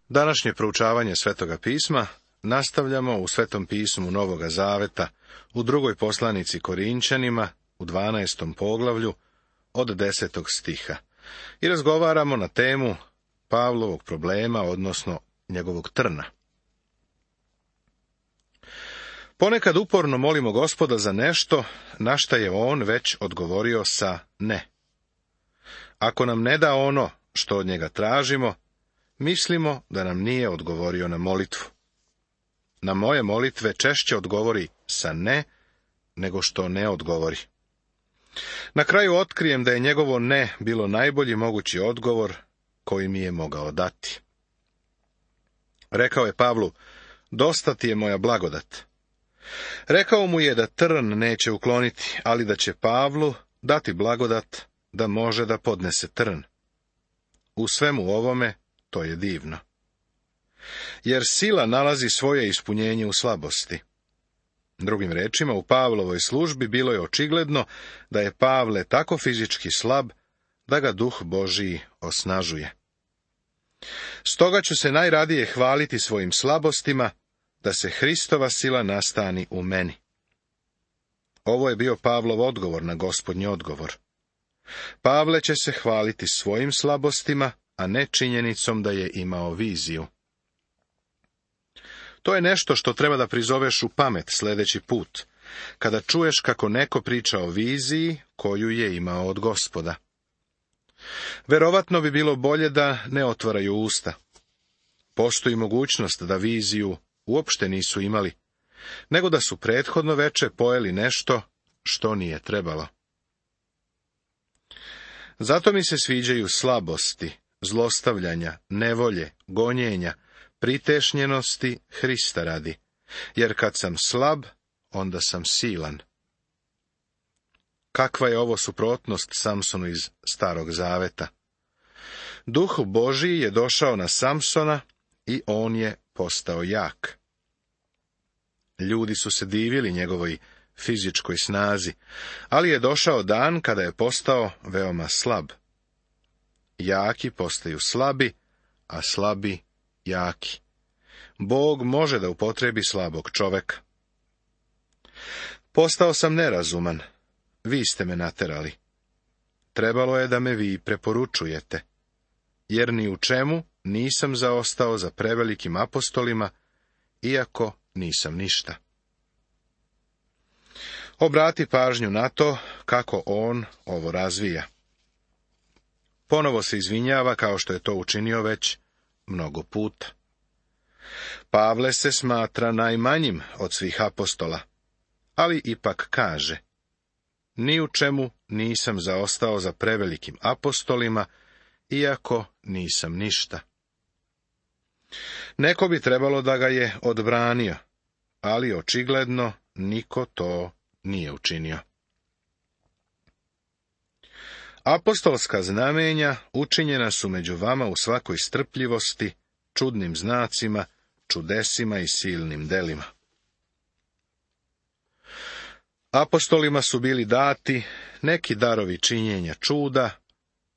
Današnje proučavanje Svetoga pisma nastavljamo u Svetom pismu Novoga Zaveta, u drugoj poslanici Korinćanima, u 12. poglavlju, od 10. stiha. I razgovaramo na temu Pavlovog problema, odnosno njegovog trna. Ponekad uporno molimo Gospoda za nešto, na šta je on već odgovorio sa ne. Ako nam ne da ono što od njega tražimo, mislimo da nam nije odgovorio na molitvu. Na moje molitve češće odgovori sa ne, nego što ne odgovori. Na kraju otkrijem da je njegovo ne bilo najbolji mogući odgovor koji mi je mogao dati. Rekao je Pavlu, dosta ti je moja blagodat. Rekao mu je da trn neće ukloniti, ali da će Pavlu dati blagodat da može da podnese trn. U svemu ovome to je divno. Jer sila nalazi svoje ispunjenje u slabosti. Drugim rečima, u Pavlovoj službi bilo je očigledno da je Pavle tako fizički slab da ga Duh Božiji osnažuje. Stoga ću se najradije hvaliti svojim slabostima, da se Hristova sila nastani u meni. Ovo je bio Pavlov odgovor na Gospodnji odgovor. Pavle će se hvaliti svojim slabostima, a ne činjenicom da je imao viziju. To je nešto što treba da prizoveš u pamet sljedeći put, kada čuješ kako neko priča o viziji koju je imao od Gospoda. Verovatno bi bilo bolje da ne otvaraju usta. Postoji mogućnost da viziju uopšte nisu imali, nego da su prethodno veče pojeli nešto što nije trebalo. Zato mi se sviđaju slabosti, zlostavljanja, nevolje, gonjenja, pritešnjenosti Hrista radi, jer kad sam slab, onda sam silan. Kakva je ovo suprotnost Samsonu iz Starog Zaveta? Duh Božiji je došao na Samsona i on je postao jak. Ljudi su se divili njegovoj fizičkoj snazi, ali je došao dan kada je postao veoma slab. Jaki postaju slabi, a slabi jaki. Bog može da upotrebi slabog čoveka. Postao sam nerazuman, vi ste me naterali. Trebalo je da me vi preporučujete, jer ni u čemu nisam zaostao za prevelikim apostolima, iako nisam ništa. Obrati pažnju na to kako on ovo razvija. Ponovo se izvinjava kao što je to učinio već mnogo puta. Pavle se smatra najmanjim od svih apostola, ali ipak kaže, ni u čemu nisam zaostao za prevelikim apostolima, iako nisam ništa. Neko bi trebalo da ga je odbranio, ali očigledno niko to nije učinio. Apostolska znamenja učinjena su među vama u svakoj strpljivosti, čudnim znacima, čudesima i silnim delima. Apostolima su bili dati neki darovi činjenja čuda,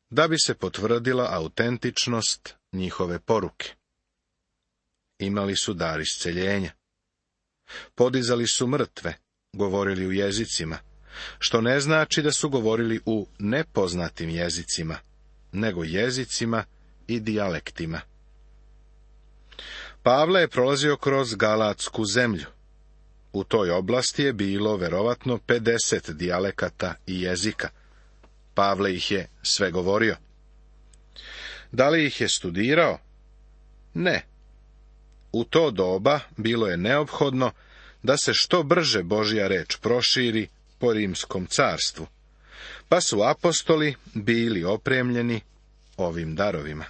da bi se potvrdila autentičnost njihove poruke. Imali su dar isceljenja. Podizali su mrtve, govorili u jezicima, što ne znači da su govorili u nepoznatim jezicima, nego jezicima i dijalektima. Pavle je prolazio kroz Galatsku zemlju. U toj oblasti je bilo verovatno 50 dijalekata i jezika. Pavle ih je sve govorio. Da li ih je studirao? Ne. U to doba bilo je neophodno da se što brže Božja reč proširi po rimskom carstvu, pa su apostoli bili opremljeni ovim darovima.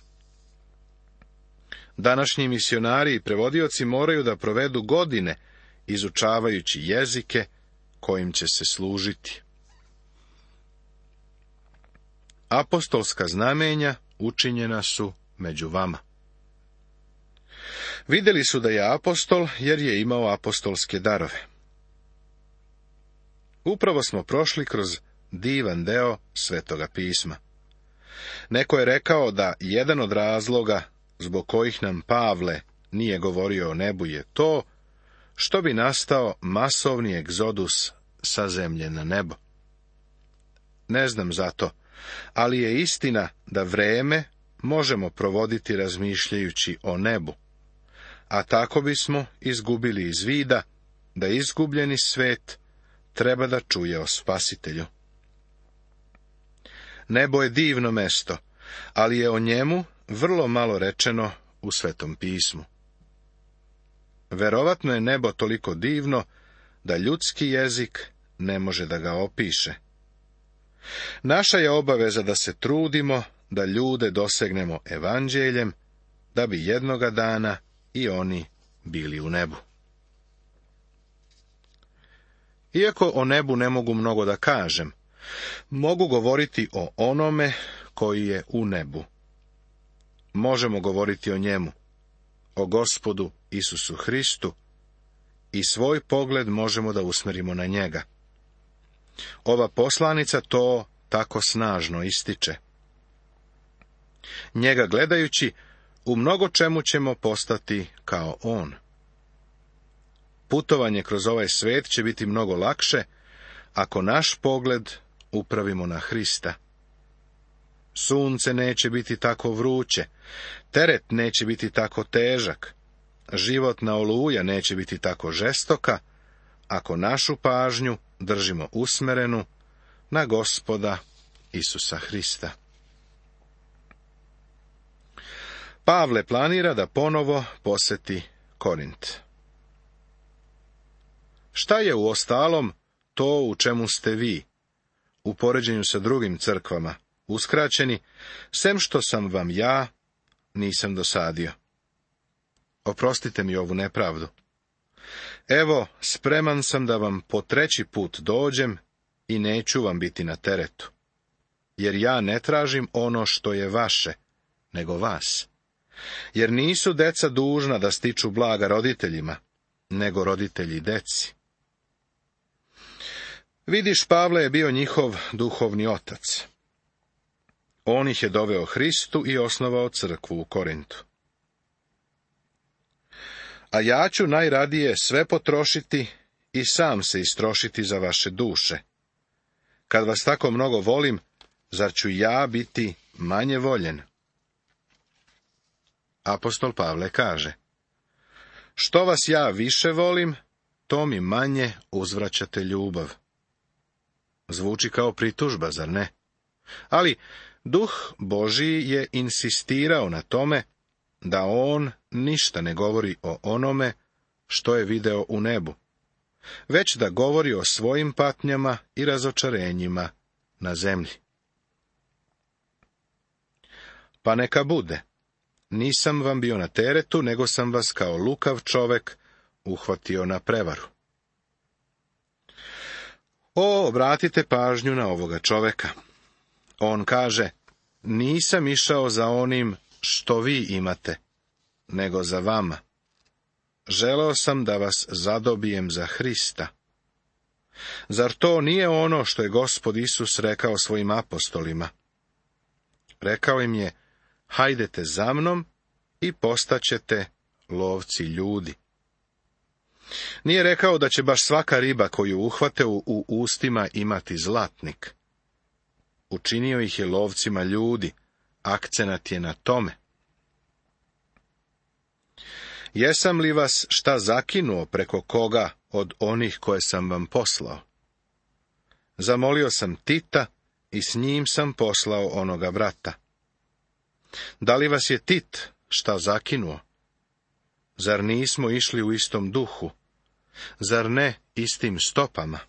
Današnji misionari i prevodioci moraju da provedu godine izučavajući jezike kojim će se služiti. Apostolska znamenja učinjena su među vama. Vidjeli su da je apostol jer je imao apostolske darove. Upravo smo prošli kroz divan deo Svetoga pisma. Neko je rekao da jedan od razloga zbog kojih nam Pavle nije govorio o nebu, je to što bi nastao masovni egzodus sa zemlje na nebo. Ne znam zato, ali je istina da vreme možemo provoditi razmišljajući o nebu, a tako bismo izgubili iz vida da izgubljeni svet treba da čuje o Spasitelju. Nebo je divno mesto, ali je o njemu vrlo malo rečeno u Svetom pismu. Verovatno je nebo toliko divno da ljudski jezik ne može da ga opiše. Naša je obaveza da se trudimo da ljude dosegnemo evanđeljem, da bi jednoga dana i oni bili u nebu. Iako o nebu ne mogu mnogo da kažem, mogu govoriti o onome koji je u nebu. Možemo govoriti o njemu, o Gospodu Isusu Hristu, i svoj pogled možemo da usmerimo na njega. Ova poslanica to tako snažno ističe. Njega gledajući, u mnogo čemu ćemo postati kao on. Putovanje kroz ovaj svet će biti mnogo lakše ako naš pogled upravimo na Hrista. Sunce neće biti tako vruće, teret neće biti tako težak, životna oluja neće biti tako žestoka, ako našu pažnju držimo usmerenu na Gospoda Isusa Hrista. Pavle planira da ponovo poseti Korint. Šta je uostalom to u čemu ste vi, u poređenju sa drugim crkvama, uskraćeni, sem što sam vam ja nisam dosadio? Oprostite mi ovu nepravdu. Evo, spreman sam da vam po 3. put dođem i neću vam biti na teretu, jer ja ne tražim ono što je vaše, nego vas. Jer nisu deca dužna da stiču blaga roditeljima, nego roditelji deci. Vidiš, Pavle je bio njihov duhovni otac. On ih je doveo Hristu i osnovao crkvu u Korintu. A ja ću najradije sve potrošiti i sam se istrošiti za vaše duše. Kad vas tako mnogo volim, zar ću ja biti manje voljen? Apostol Pavle kaže: što vas ja više volim, to mi manje uzvraćate ljubav. Zvuči kao pritužba, zar ne? Ali Duh Božiji je insistirao na tome da on ništa ne govori o onome što je video u nebu, već da govori o svojim patnjama i razočarenjima na zemlji. Pa neka bude. Nisam vam bio na teretu, nego sam vas kao lukav čovek uhvatio na prevaru. Obratite pažnju na ovoga čoveka. On kaže: nisam išao za onim što vi imate, nego za vama. Želeo sam da vas zadobijem za Hrista. Zar to nije ono što je Gospod Isus rekao svojim apostolima? Rekao im je: hajdete za mnom i postaćete lovci ljudi. Nije rekao da će baš svaka riba koju uhvate u ustima imati zlatnik. Učinio ih je lovcima ljudi, akcenat je na tome. Jesam li vas šta zakinuo preko koga od onih koje sam vam poslao? Zamolio sam Tita i s njim sam poslao onoga brata. Da li vas je Tit šta zakinuo? Zar nismo išli u istom duhu? Zar ne istim stopama?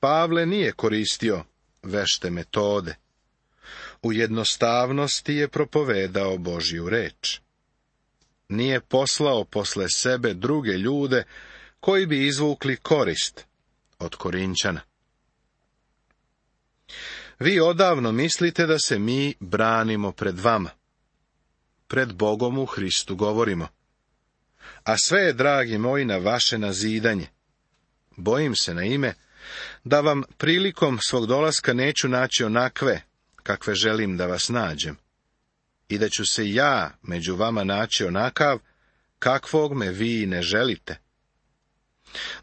Pavle nije koristio vešte metode. U jednostavnosti je propovedao Božju reč. Nije poslao posle sebe druge ljude koji bi izvukli korist od Korinćana. Vi odavno mislite da se mi branimo pred vama. Pred Bogom u Hristu govorimo. A sve je, dragi moji, na vaše nazidanje. Bojim se na ime da vam prilikom svog dolaska neću naći onakve kakve želim da vas nađem. i da ću se ja među vama naći onakav, kakvog me vi ne želite.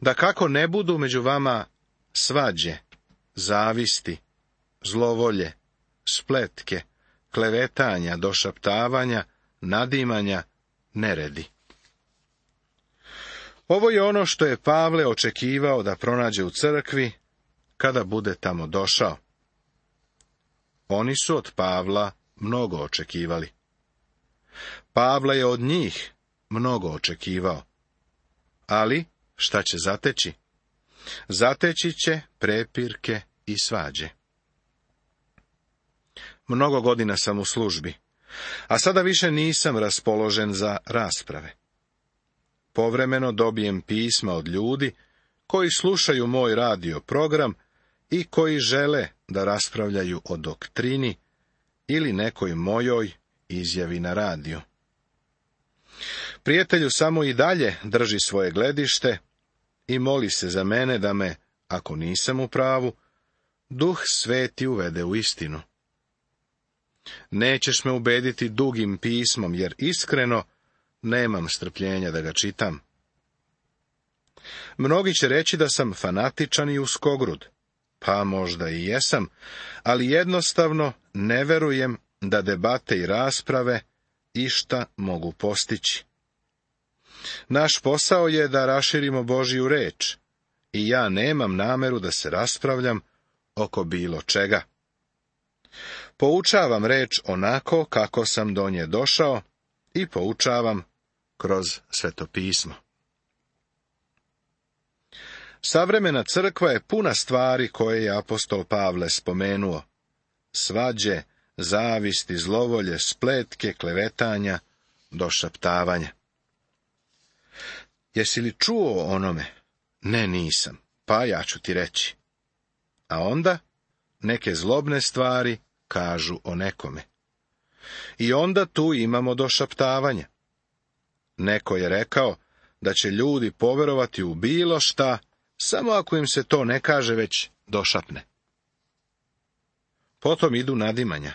Da kako ne budu među vama svađe, zavisti, zlovolje, spletke, klevetanja, došaptavanja, nadimanja, neredi. Ovo je ono što je Pavle očekivao da pronađe u crkvi kada bude tamo došao. Oni su od Pavla mnogo očekivali. Pavle je od njih mnogo očekivao. Ali šta će zateći? Zateći će prepirke i svađe. Mnogo godina sam u službi, a sada više nisam raspoložen za rasprave. Povremeno dobijem pisma od ljudi koji slušaju moj radio program i koji žele da raspravljaju o doktrini ili nekoj mojoj izjavi na radiju. Prijatelju samo i dalje drži svoje gledište i moli se za mene da me, ako nisam u pravu, Duh Sveti uvede u istinu. Nećeš me ubediti dugim pismom, jer iskreno nemam strpljenja da ga čitam. Mnogi će reći da sam fanatičan i uskogrud, pa možda i jesam, ali jednostavno ne verujem da debate i rasprave išta mogu postići. Naš posao je da raširimo Božju reč i ja nemam nameru da se raspravljam oko bilo čega. Poučavam reč onako kako sam do nje došao i poučavam kroz Svetopismo. Savremena crkva je puna stvari koje je apostol Pavle spomenuo. Svađe, zavisti, zlovolje, spletke, klevetanja, došaptavanja. Jesi li čuo o onome? Ne, nisam, pa ja ću ti reći. A onda neke zlobne stvari kažu o nekome. I onda tu imamo došaptavanje. Neko je rekao da će ljudi poverovati u bilo šta, samo ako im se to ne kaže, već došapne. Potom idu nadimanja.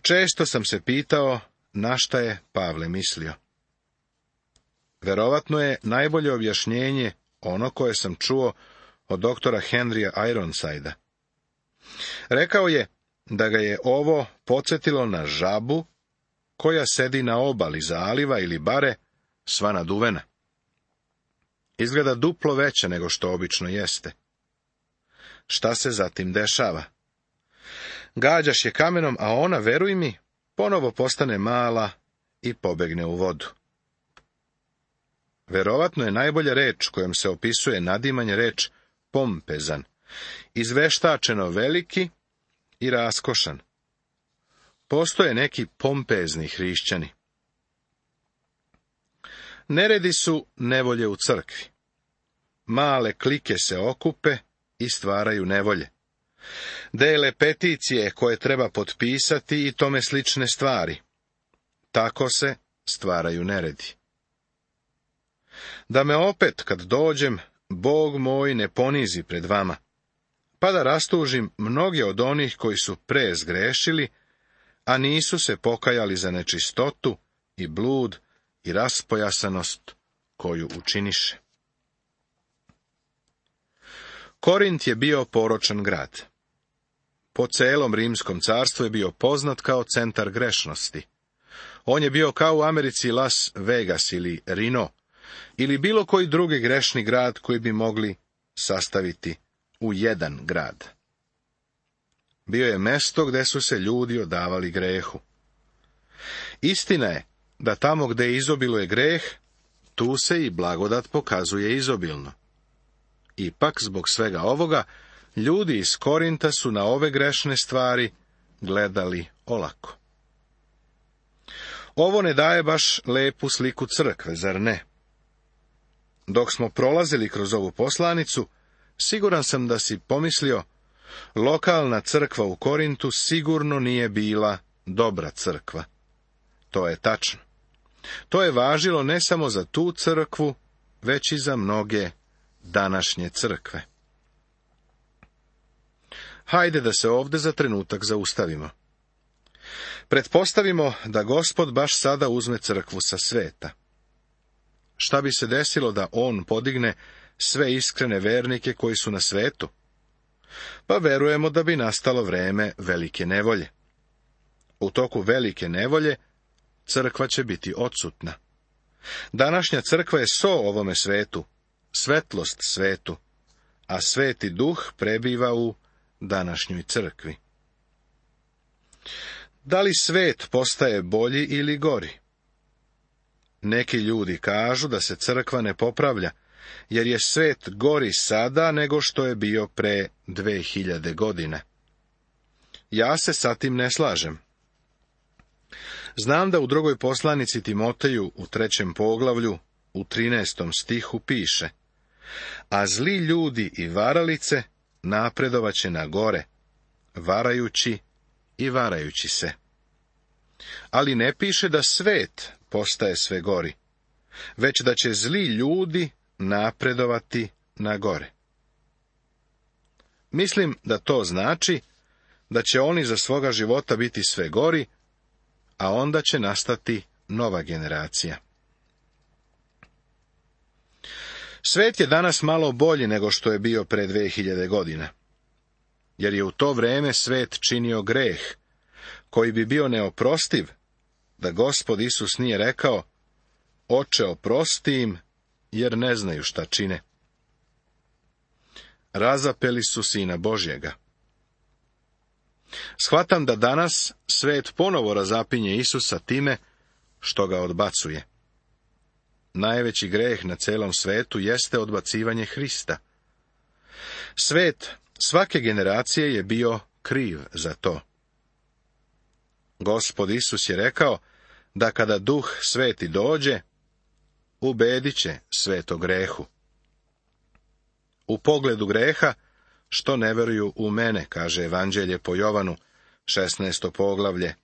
Često sam se pitao na šta je Pavle mislio. Verovatno je najbolje objašnjenje ono koje sam čuo od doktora Henrya Ironsida. Rekao je da ga je ovo podsjetilo na žabu koja sedi na obali zaliva ili bare, sva naduvena. Izgleda duplo veća nego što obično jeste. Šta se zatim dešava? Gađaš je kamenom, a ona, veruj mi, ponovo postane mala i pobegne u vodu. Verovatno je najbolja reč kojom se opisuje nadimanje reč pompezan, izveštačeno veliki i raskošan. Postoje neki pompezni hrišćani. Neredi su nevolje u crkvi. Male klike se okupe i stvaraju nevolje. Dele peticije koje treba potpisati i tome slične stvari. Tako se stvaraju neredi. Da me opet, kad dođem, Bog moj ne ponizi pred vama, pa da rastužim mnoge od onih koji su pre zgrešili, a nisu se pokajali za nečistotu i blud i raspojasanost koju učiniše. Korint je bio poročan grad. Po celom Rimskom carstvu je bio poznat kao centar grešnosti. On je bio kao u Americi Las Vegas ili Reno, ili bilo koji drugi grešni grad koji bi mogli sastaviti u jedan grad. Bio je mesto gde su se ljudi odavali grehu. Istina je da tamo gde izobiluje greh, tu se i blagodat pokazuje izobilno. Ipak, zbog svega ovoga, ljudi iz Korinta su na ove grešne stvari gledali olako. Ovo ne daje baš lepu sliku crkve, zar ne? Dok smo prolazili kroz ovu poslanicu, siguran sam da si pomislio, lokalna crkva u Korintu sigurno nije bila dobra crkva. To je tačno. To je važilo ne samo za tu crkvu, već i za mnoge današnje crkve. Hajde da se ovde za trenutak zaustavimo. Pretpostavimo da Gospod baš sada uzme crkvu sa sveta. Šta bi se desilo da on podigne sve iskrene vernike koji su na svetu? Pa verujemo da bi nastalo vreme velike nevolje. U toku velike nevolje crkva će biti odsutna. Današnja crkva je so ovome svetu, svetlost svetu, a Sveti Duh prebiva u današnjoj crkvi. Da li svet postaje bolji ili gori? Neki ljudi kažu da se crkva ne popravlja, jer je svet gori sada nego što je bio pre 2000 godina. Ja se sa tim ne slažem. Znam da u drugoj poslanici Timoteju u 3. poglavlju u 13. stihu piše: a zli ljudi i varalice napredovaće na gore, varajući i varajući se. Ali ne piše da svet postaje sve gori, već da će zli ljudi napredovati na gore. Mislim da to znači da će oni za svoga života biti sve gori, a onda će nastati nova generacija. Svet je danas malo bolji nego što je bio pre 2000 godina, jer je u to vreme svet činio greh, koji bi bio neoprostiv, da Gospod Isus nije rekao: Oče, oprosti im, jer ne znaju šta čine. Razapeli su Sina Božjega. Shvatam da danas svet ponovo razapinje Isusa time što ga odbacuje. Najveći greh na celom svetu jeste odbacivanje Hrista. Svet svake generacije je bio kriv za to. Gospod Isus je rekao da kada Duh Sveti dođe, ubedit će svet o grehu. U pogledu greha, što ne veruju u mene, kaže Evanđelje po Jovanu, 16. poglavlje,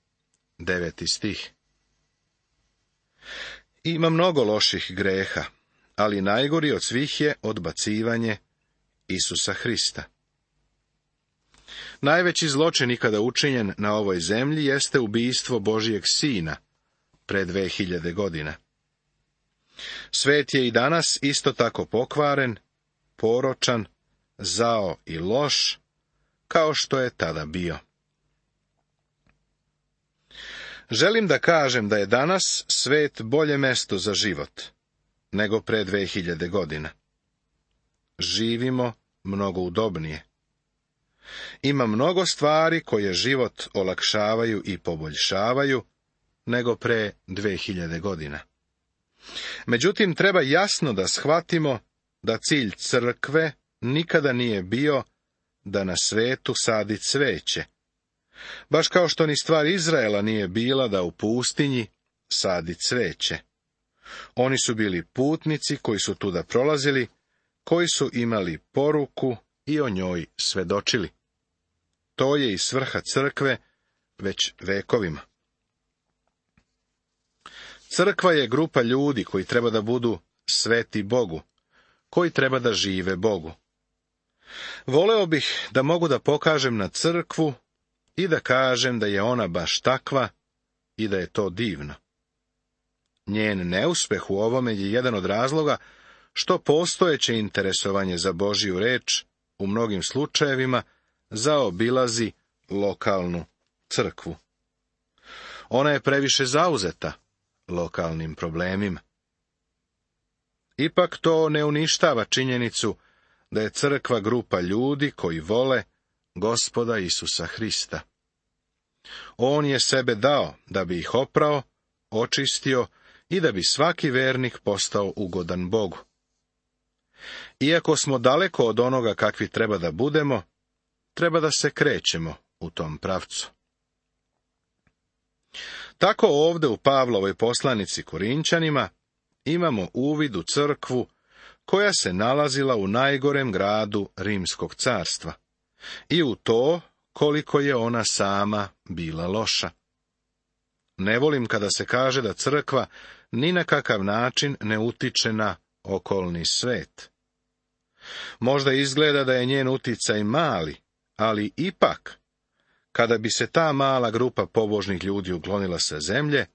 9. stih. Ima mnogo loših greha, ali najgori od svih je odbacivanje Isusa Hrista. Najveći zločin ikada učinjen na ovoj zemlji jeste ubijstvo Božijeg Sina pre 2000 godina. Svet je i danas isto tako pokvaren, poročan, zao i loš, kao što je tada bio. Želim da kažem da je danas svet bolje mesto za život nego pre 2000 godina. Živimo mnogo udobnije. Ima mnogo stvari koje život olakšavaju i poboljšavaju nego pre 2000 godina. Međutim, treba jasno da shvatimo da cilj crkve nikada nije bio da na svetu sadi cveće, baš kao što ni stvar Izraela nije bila da u pustinji sadi cveće. Oni su bili putnici koji su tuda prolazili, koji su imali poruku i o njoj svedočili. To je i svrha crkve već vekovima. Crkva je grupa ljudi koji treba da budu sveti Bogu, koji treba da žive Bogu. Voleo bih da mogu da pokažem na crkvu i da kažem da je ona baš takva i da je to divno. Njen neuspeh u ovome je jedan od razloga što postojeće interesovanje za Božju reč u mnogim slučajevima zaobilazi lokalnu crkvu. Ona je previše zauzeta lokalnim problemima. Ipak to ne uništava činjenicu da je crkva grupa ljudi koji vole Gospoda Isusa Hrista. On je sebe dao da bi ih oprao, očistio i da bi svaki vernik postao ugodan Bogu. Iako smo daleko od onoga kakvi treba da budemo, treba da se krećemo u tom pravcu. Tako ovde u Pavlovoj poslanici Korinćanima imamo uvid u crkvu koja se nalazila u najgorem gradu Rimskog carstva i u to koliko je ona sama bila loša. Ne volim kada se kaže da crkva ni na kakav način ne utiče na okolni svet. Možda izgleda da je njen uticaj mali, ali ipak, Kada bi se ta mala grupa pobožnih ljudi uklonila sa zemlje,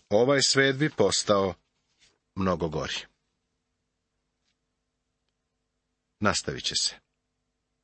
ovaj svet bi postao mnogo gori. Nastavit će se.